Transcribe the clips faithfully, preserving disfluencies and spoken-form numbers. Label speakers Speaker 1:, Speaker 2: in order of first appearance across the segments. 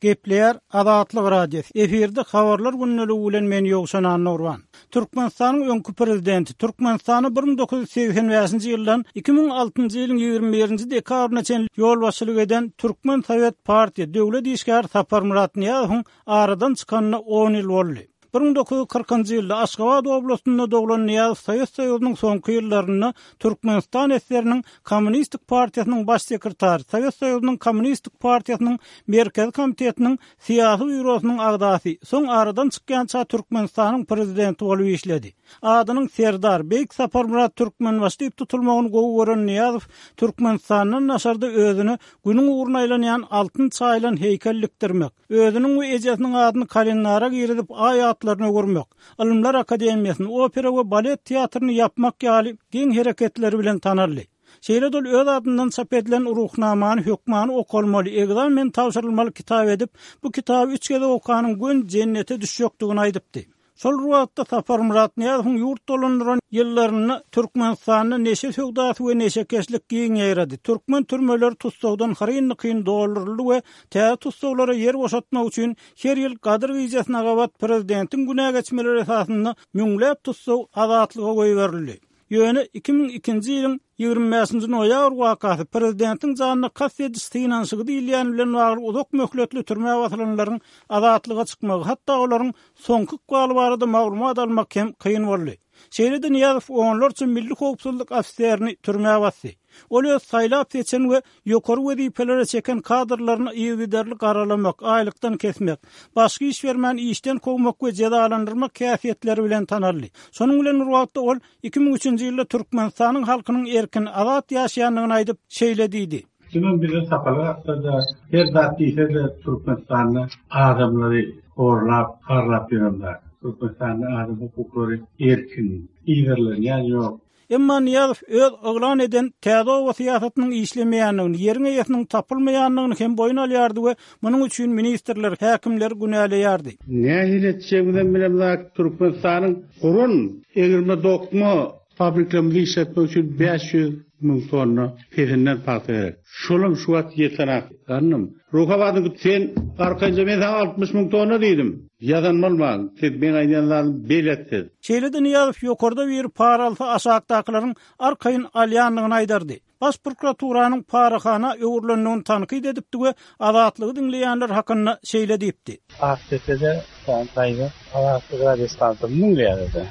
Speaker 1: Gepleýär Azatlyk Radiosy. Efirde habarlar gündeligi bilen men Ýowşan Annurban. Türkmenistanyň öňki prezidenti Türkmenistany bir müň dokuz ýüz segsen bäşinji ýyldan iki müň altynjy ýylyň ýigrimi birinji dekabryna çenli ýolbaşçylyk eden Türkmen Sowet partiýa döwlet işgäri Saparmyrat Nyýazowyň aradan çykanyna on ýyl boldy. Bir müň dokuz ýüz kyrkynjy ýylda Aşgabat oblastynda doglan Nyýazow Sowet Soýuzynyň soňky ýyllarynda Türkmenistan S S R'niň Kommunistik partiýasynyň baş sekretary, Sowet Soýuzynyň Kommunistik partiýasynyň Merkezi komitetiniň syýasy býurosynyň agzasy, soň aradan çykýança Türkmenistanyň prezidenti bolup işledi. Adynyň Serdar, Beýik Saparmyrat Türkmenbaşy diýip tutulmagyny gowy gören Nyýazow Türkmenistandan daşarda özüne günüň ugruna aýlanýan altyn çaýylan heýkel dikdirmek, özüniň we ejesiniň adyny kalendara girizip aý atlaryny öwürmek, Ylymlar akademiýasyny, opera we balet teatryny ýapmak ýaly geň hereketleri bilen tanaldy. Şeýle-de ol öz adyndan çap edilen Ruhnamany hökmany okalmaly, ekzamen tabşyrylmaly kitap edip, bu kitaby üç gezek okanyň göni jennete düşjekdigini aýdypdy. Şol bir wagtda Saparmyrat Nyýazowyň ýurt dolandyran ýyllarynda Türkmenistanda neşe söwdasy we neşekeşlik giň ýaýrady. Türkmen türmeleri tussagdan hyryn-dykyn dolduryldy we täze tussaglara ýer boşatmak üçin her ýyl Gadyr gijesine gabat prezidentiň günä geçmeleri esasynda müňläp tussag azatlyga goýberildi. Ýöne iki müň ikinji ýylyň ýigrimi bäşinji noýabr wakasy prezidentiň janyna kast ediş synanyşygy diýilýän bilen bagly uzak möhletli türmä basylanlaryň azatlyga çykmagy, hatda olaryň soňky ykbaly barada maglumat almak hem kyn boldy. Şeýle-de Nyýazow onlarça milli howpsuzlyk ofiserini türmä basdy. Ol öz saýlap seçen we ýokary wezipelere çeken kadrlaryny yzygiderli garalamak, aýlykdan kesmek, başga iş bermän işden kowmak we jezalandyrmak häsiýetleri bilen tanaldy. Şonuň bilen bir wagtda ol iki müň üçünji ýylda Türkmenistanyň halkynyň erkin, azat ýaşaýandygyny aýdyp, şeýle diýdi.
Speaker 2: Kimem bize sapaly atsa-da, her zat diýse-de Türkmenistanda adamlary horlap, harlap ýörenler. Türkmenistanda adam hukuklary erkin, yzarlanýan ýok.
Speaker 1: Emma Nyýazow öz yglan eden täze oba syýasatynyň işlemeýändigini, ýeriň eýesiniň tapylmaýandygyny hem boýun alýardy we munuň üçin ministrler, häkimler günäleýärdi.
Speaker 2: Nähili etjegimizem bilemzok, Türkmenistanyň guran egirme dokma fabriklerimizi işletmek üçin bäş ýüz müň tonna pesinden pagta gerek. Şolam şu wagt ýetenak. Gannym, Ruhabadyň sen arkaýynja men saňa altmyş müň tonna diýdim. Ýazan bolmaň, siz meň aýdýan zadym belet siz.
Speaker 1: Şeýle-de Nyýazow ýokarda bir para alsa aşakdakylaryň arkaýyn alýandygyny aýdardy. Baş prokuraturanyň parahana öwrülendigini tankyt edipdi we Azatlygy diňleýänler hakynda şeýle diýipdi.
Speaker 2: Akdepe'de sen daýza Azatlyk radiostansiýasy müň diýerdi.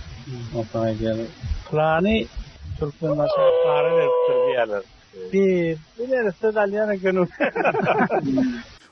Speaker 2: Onsoň aýdýar, plany Türkmenbaşy para beripdir diýerler. Bir, bir neresi alýan eken.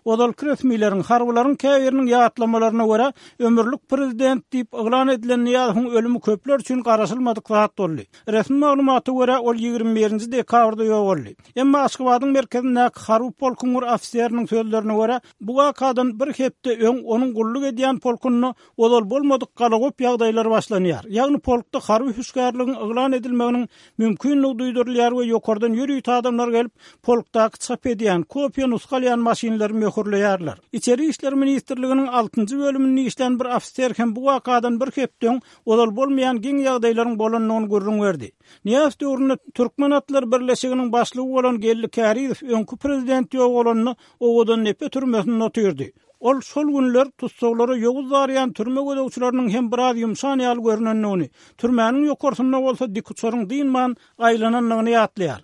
Speaker 1: Ozalky resmileriň, harbylaryň käbiriniň ýatlamalaryna görä, ömürlik prezident diýip yglan edilen Nyýazowyň ölümi köpler üçin garaşylmadyk zat boldy. Resmi maglumata görä, ol ýigrimi birinji dekabrda ýogaldy. Emma Aşgabadyň merkezindäki harby polkuň bir ofiseriniň sözlerine görä, bu wakadan bir hepde öň onuň gulluk edýän polkunda ozal bolmadyk galagop ýagdaýlar başlanýar. Ýagny polkda harby hüşgärligiň yglan edilmeginiň mümkinligi duýdurylýar we ýokardan ýörite adamlar gelip, polkdaky çap edýän, kopiýa nusga alýan maşynlary möhürleýärler. Içeri işler ministrliginiň altynjy bölüminde işlän bir ofiser hem bu wakadan bir hepde öň ozal bolmaýan geň ýagdaýlaryň bolandygyny gürrüň berdi. Nyýazow döwründe Türkmen atlar birleşiginiň başlygy bolan Geldi Kärizow öňki prezident ýogalanda Owadan depe türmesinde otyrdy. Ol şol günler tussaglara ýowuz darýan türme gözegçileriniň hem biraz ýumşan ýaly görünendigini, türmäniň ýokarsynda bolsa dikuçaryň dynman aýlanandygyny ýatlaýar.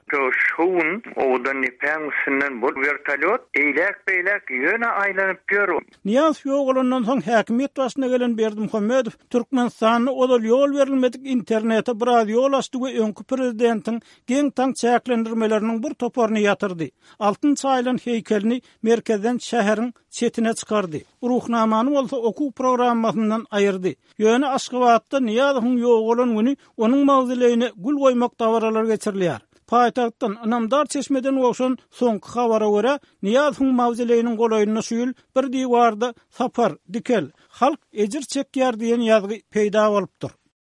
Speaker 3: Şu gün Owadan depäň üstünden bu vertolýot eýläk-beýläk ýöne aýlanyp ýör.
Speaker 1: Nyýazow ýogalandan soň häkimiýet başyna gelen Berdimuhamedow Türkmenistanda ozal ýol berilmedik internete biraz ýol açdy we öňki prezidentiň geň-taň çäklendirmeleriniň bir toparyny ýatyrdy. Altyn çaýylan heýkelini merkezden şäheriň çetine çykardy. Ruhnamany bolsa okuw programmasyndan aýyrdy. Ýöne Aşgabatda Nyýazowyň ýogalan güni onuň mawzoleýine gül goýmak dabaralary geçirilýär. Paýtagtdan ynamdar çeşmeden gowşan soňky habara görä, Nyýazowyň mawzoleýiniň golaýynda şu ýyl bir diwarda Sapar, Dikel, halk ejir çekýär diýen ýazgy peýda bolupdyr.